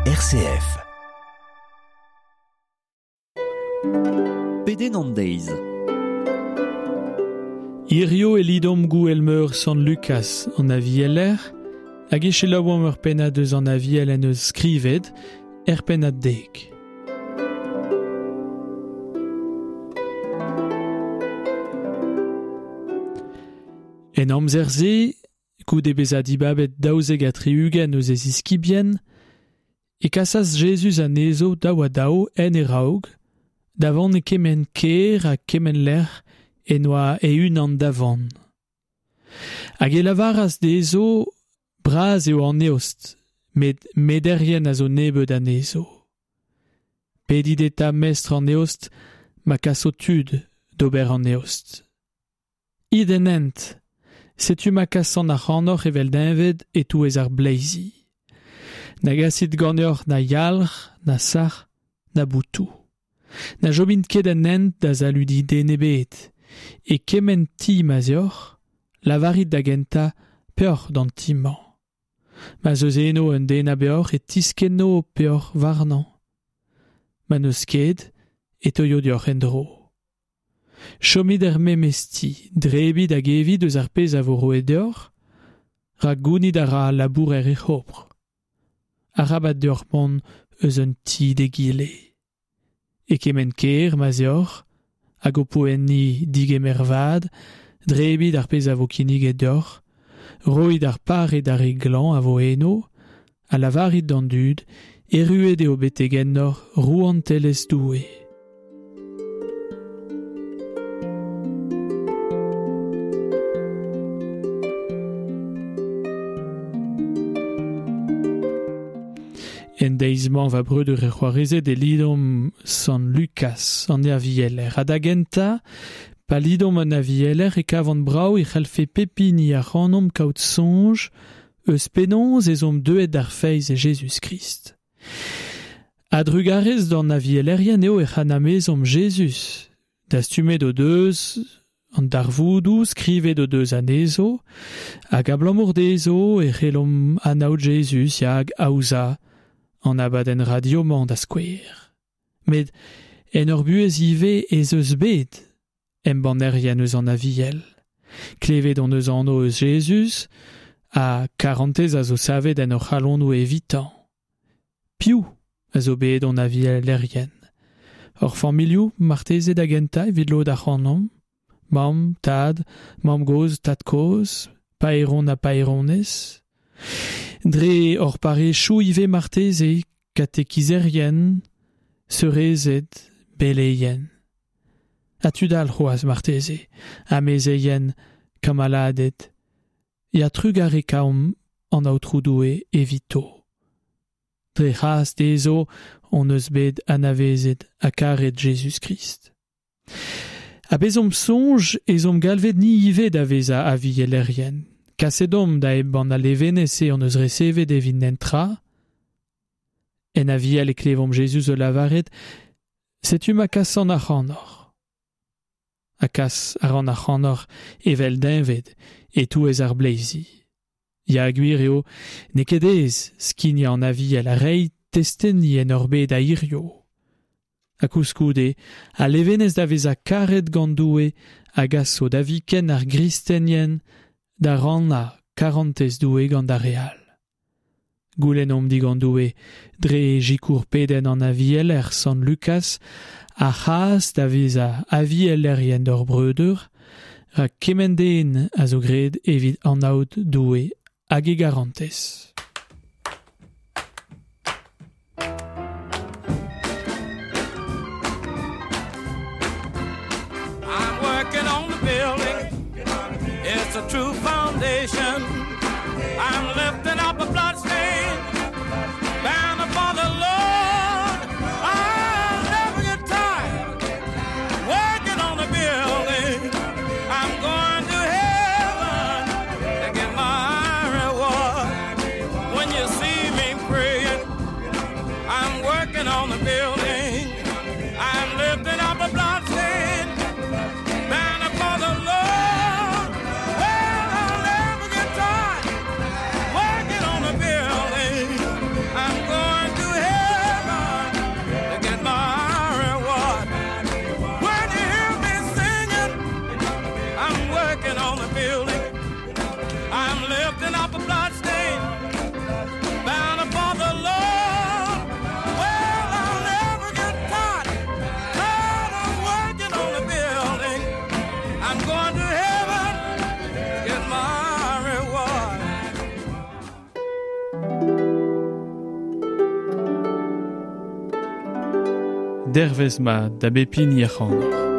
RCF. Pedenn an deiz. Hirio e lidomp gouel-meur Sant Lucas an avieler, hag e selaouomp ur pennad eus an aviel en eus skrivet, er pennad dek. En amzer-se, goude bezañ dibabet 72 eus e ziskibien, e kasas Jezuz anezho daou-ha-daou en e raog, da vont e kement kêr ha kement lec'h en oa e-unan da vont. Hag e lavaras dezho, bras eo an eost, met mederien a zo nebeut anezho. Pedit eta mestr an eost, ma kaso tud d'ober an eost. It en hent, setu ma kasan ac'hanoc'h evel deñved e-touez ar bleizi. Na gasit ganeoc'h na yalc'h, na sac'h, na boutoù. Na chomint ket en hent da saludiñ den ebet. E kement ti ma'z eoc'h, lavarit da gentañ peoc'h d'an ti-mañ. Ma'z eus eno un den a beoc'h e tiskenno ho peoc'h warnañ. Ma n'eus ket, e teuio deoc'h en-dro. Chomit er memes ti, drebit hag evit eus ar pezh a vo roet deoc'h, rak gounit a ra al labourer e c'hopr. Arabat deoc'h mont eus un ti d'egile. E kement kêr ma'z eoc'h, hag ho po enni digemer vat, drebit ar pezh a vo kinniget deoc'h, roit ar pare d'ar re glañv a vo eno, ha lavarit d'an dud erruet eo betek ennoc'h rouantelezh Doue. En deiz-mañ va breudeur e c'hoarezed e lidomp Sant Lukas, an avieler. Ha da gentañ, pa lidomp an avieler e kavan brav e c'hallfe pep hini ac'hanomp kaout soñj eus penaos ez omp deuet d'ar feiz e Jezuz-Krist. A-drugarez d'an avielerien eo ec'h anavezomp Jezuz. Dastumet o deus an darvoudoù, skrivet o deus anezho, hag abalamour dezho e c'hellomp anaout Jezuz hag aozañ an abadenn radio-mañ da skouer. Met en hor buhez ivez ez eus bet embannerien eus an Aviel. Klevet hon eus anv eus Jezuz ha karantez a zo savet en hor c'halonoù evitañ. Piv a zo bet hon avielerien? Hor familhoù marteze da gentañ evit lod ac'hanomp, mamm, tad, mamm-gozh, tad-kozh, paeron ha paeronez. Dre hor parrezioù ivez marteze, katekizerien, seurezed, beleien. Ha tud all c'hoazh marteze, amezeien, kamaladed. Ya trugarekaomp an Aotrou Doue evito. Dre c'hras dezho hon eus bet anavezet ha karet Jezuz-Krist. Ha bezomp soñj ez omp galvet ni ivez da vezañ avielerien. Kaset omp da embann al levenez-se hon eus resevet evit netra. En aviel e klevomp Jezuz o lavaret Setu ma kasan ac'hanoc'h. Ha kas a ran ac'hanoc'h evel deñved e-touez ar bleizi. Ya, gwir eo, n'eo ket aes skignañ an aviel ha reiñ testeni en hor bed a hirio. Ha koulskoude, al levenez da vezañ karet gant Doue a gaso da viken ar gristenien da rannañ karantez Doue gant ar re all. Goulennomp digant Doue, dre sikour pedenn an avieler Sant Lukas, ar c'hras da vezañ avielerien d'hor breudeur, rak kement den a zo graet evit anaout Doue hag e garantez. I'm working on the building. It's a true foundation. I'm lifting up a bloodstained banner for the Lord. I'll never get tired working on the building. I'm going to heaven to get my reward. When you see me praying, I'm working on the building. I'm lifting up a bloodstained banner for the Lord. Well, I'll never get tired working on the building. I'm going to Dervez mat da bep hini ac'hanoc'h.